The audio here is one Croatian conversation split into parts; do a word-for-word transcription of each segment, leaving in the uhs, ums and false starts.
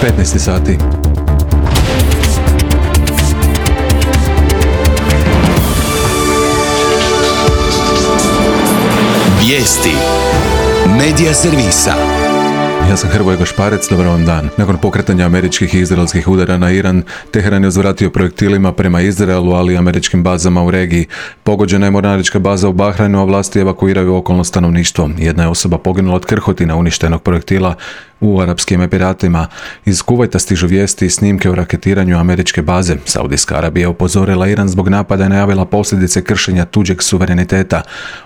petnaest sati. Vijesti Medija servisa. Ja sam Hrvoje Gošparec, dobar vam dan. Nakon pokretanja američkih i izraelskih udara na Iran, Teheran je uzvratio projektilima prema Izraelu, ali i američkim bazama u regiji. Pogođena je mornarička baza u Bahrajnu, a vlasti evakuiraju okolno stanovništvo. Jedna je osoba poginula od krhotina uništenog projektila u Arapskim Emiratima. Iz Kuvajta stižu vijesti i snimke o raketiranju američke baze. Saudijska Arabija je upozorila Iran zbog napada i najavila posljedice kršenja tuđeg suvereniteta.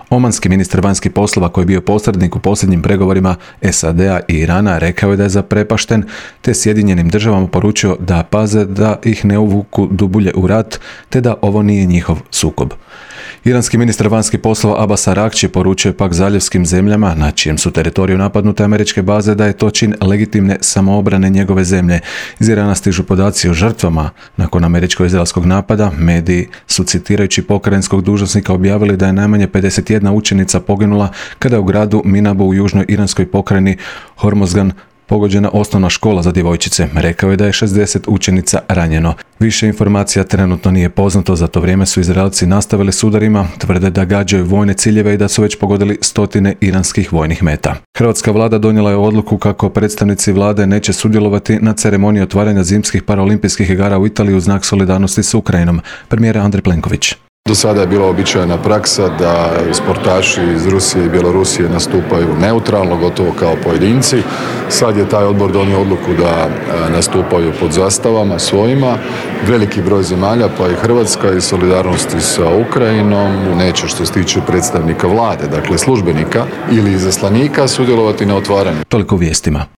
Omanski ministar vanjskih poslova, koji je bio posrednik u posljednjim pregovorima S A D-a i Irana, rekao je da je zaprepašten, te Sjedinjenim državama poručio da paze da ih ne uvuku dublje u rat, te da ovo nije njihov sukob. Iranski ministar vanjskih poslova Abbas Araghchi poručuje pak zaljevskim zemljama, na čijem su teritoriju napadnute američke baze, da je to čin legitimne samoobrane njegove zemlje. Iz Irana stižu podaci o žrtvama. Nakon američko-izraelskog napada, mediji su, citirajući pokrajinskog dužnosnika, objavili da je najmanje pedeset jedna učenica poginula kada je u gradu Minabu u južnoj iranskoj pokrajini Hormozgan pogođena osnovna škola za djevojčice. Rekao je da je šezdeset učenica ranjeno. Više informacija trenutno nije poznato, za to vrijeme su Izraelci nastavili s udarima, tvrde da gađaju vojne ciljeve i da su već pogodili stotine iranskih vojnih meta. Hrvatska vlada donijela je odluku kako predstavnici vlade neće sudjelovati na ceremoniji otvaranja zimskih paraolimpijskih igara u Italiji u znak solidarnosti s Ukrajinom. Premijer Andrej Plenković. Do sada je bila običajna praksa da sportaši iz Rusije i Bjelorusije nastupaju neutralno, gotovo kao pojedinci. Sad je taj odbor donio odluku da nastupaju pod zastavama svojima. Veliki broj zemalja, pa i Hrvatska, iz solidarnosti sa Ukrajinom neće, što se tiče predstavnika vlade, dakle službenika ili izaslanika, sudjelovati na otvaranju. Toliko u vijestima.